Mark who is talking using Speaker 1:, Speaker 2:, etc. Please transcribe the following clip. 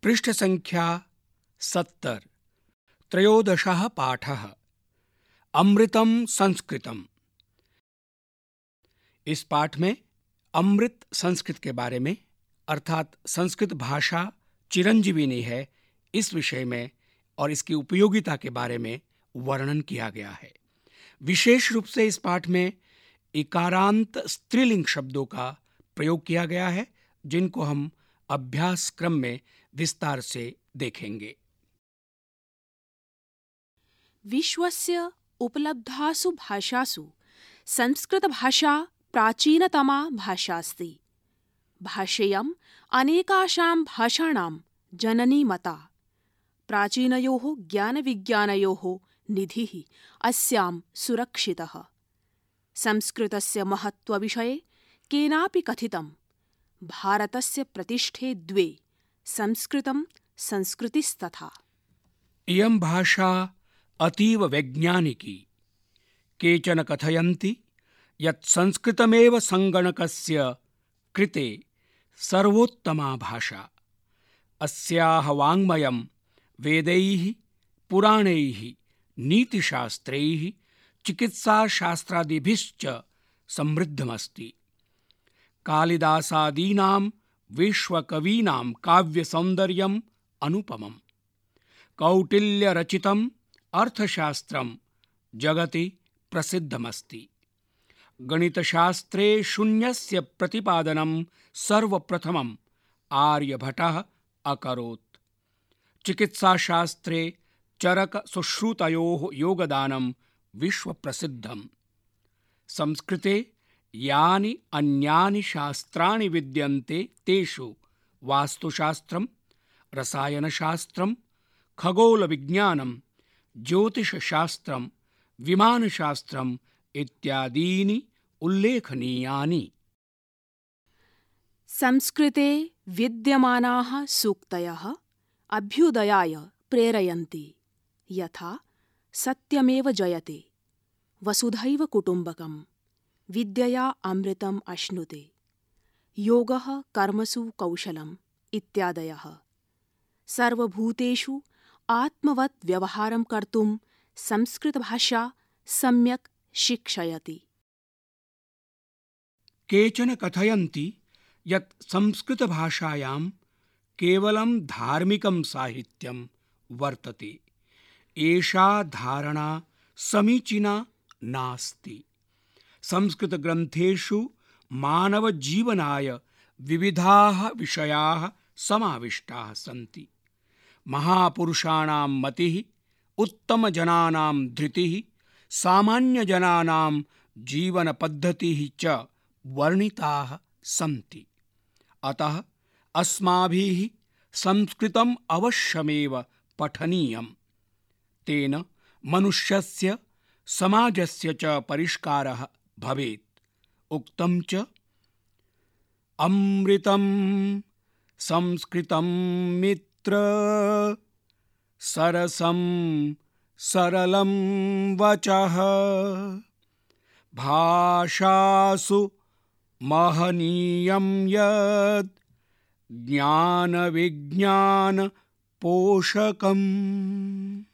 Speaker 1: पृष्ठसङ्ख्या 70 13 पाठः अमृतम संस्कृतम। इस पाठ में अमृत संस्कृत के बारे में अर्थात संस्कृत भाषा चिरंजीविनी है इस विषय में और इसकी उपयोगिता के बारे में वर्णन किया गया है। विशेष रूप से इस पाठ में इकारांत स्त्रीलिंग शब्दों का प्रयोग किया गया है जिनको हम अभ्यास क्रम में विस्तार से देखेंगे।
Speaker 2: विश्वस्य उपलब्धासु भाषासु संस्कृतभाषा प्राचीनतमा भाषा अस्ति। भाषेयम् अनेकासां भाषाणां जननी मता। प्राचीनयोः ज्ञानविज्ञानयोः निधिः अस्यां सुरक्षितः। संस्कृतस्य महत्त्वविषये केनापि कथितं। भारतस्य प्रतिष्ठे द्वे संस्कृतं संस्कृतिस्तथा।
Speaker 1: इयं भाषा अतीव वैज्ञानिकी। केचन कथयन्ति यत् संस्कृतमेव संगणकस्य कृते सर्वोत्तमा भाषा। अस्याः वाङ्मयं वेदैः, पुराणैः, नीतिशास्त्रैः, चिकित्साशास्त्रादिभिश्च समृद्धमस्ति। कालिदासादीनां विश्वकवीनां काव्यसौन्दर्यम् अनुपमम्। कौटिल्यरचितम् अर्थशास्त्रं जगति प्रसिद्धमस्ति। गणितशास्त्रे शून्यस्य प्रतिपादनं सर्वप्रथमम् आर्यभटः अकरोत्। चिकित्साशास्त्रे चरकसुश्रुतयोः योगदानं विश्वप्रसिद्धम्। संस्कृते यानि अन्यानि शास्त्राणि विद्यन्ते तेषु वास्तुशास्त्रं, रसायनशास्त्रं, खगोलविज्ञानं, ज्योतिषशास्त्रं, विमानशास्त्रम् इत्यादीनि उल्लेखनीयानि।
Speaker 2: संस्कृते विद्यमानाः सूक्तयः अभ्युदयाय प्रेरयन्ति। यथा सत्यमेव जयते, वसुधैव कुटुम्बकम्, विद्यया अमृतम् अश्नुते, योगः कर्मसु कौशलम् इत्यादयः। सर्वभूतेषु आत्मवत् व्यवहारं कर्तुं संस्कृतभाषा सम्यक् शिक्षयति।
Speaker 1: केचन कथयन्ति यत् संस्कृतभाषायां केवलं धार्मिकं साहित्यं वर्तते। एषा धारणा समीचीना नास्ति। संस्कृतग्रन्थेषु मानवजीवनाय विविधाः विषयाः समाविष्टाः सन्ति। महापुरुषाणां मतिः, उत्तमजनानां धृतिः, सामान्यजनानां जीवनपद्धतिः च वर्णिताः सन्ति। अतः अस्माभिः संस्कृतम् अवश्यमेव पठनीयम्। तेन मनुष्यस्य, समाजस्य च परिष्कारः भवेत्। उक्तं च अमृतं संस्कृतं मित्र सरसं सरलं वचः भाषासु महनीयं यत् ज्ञान विज्ञान पोषकम्।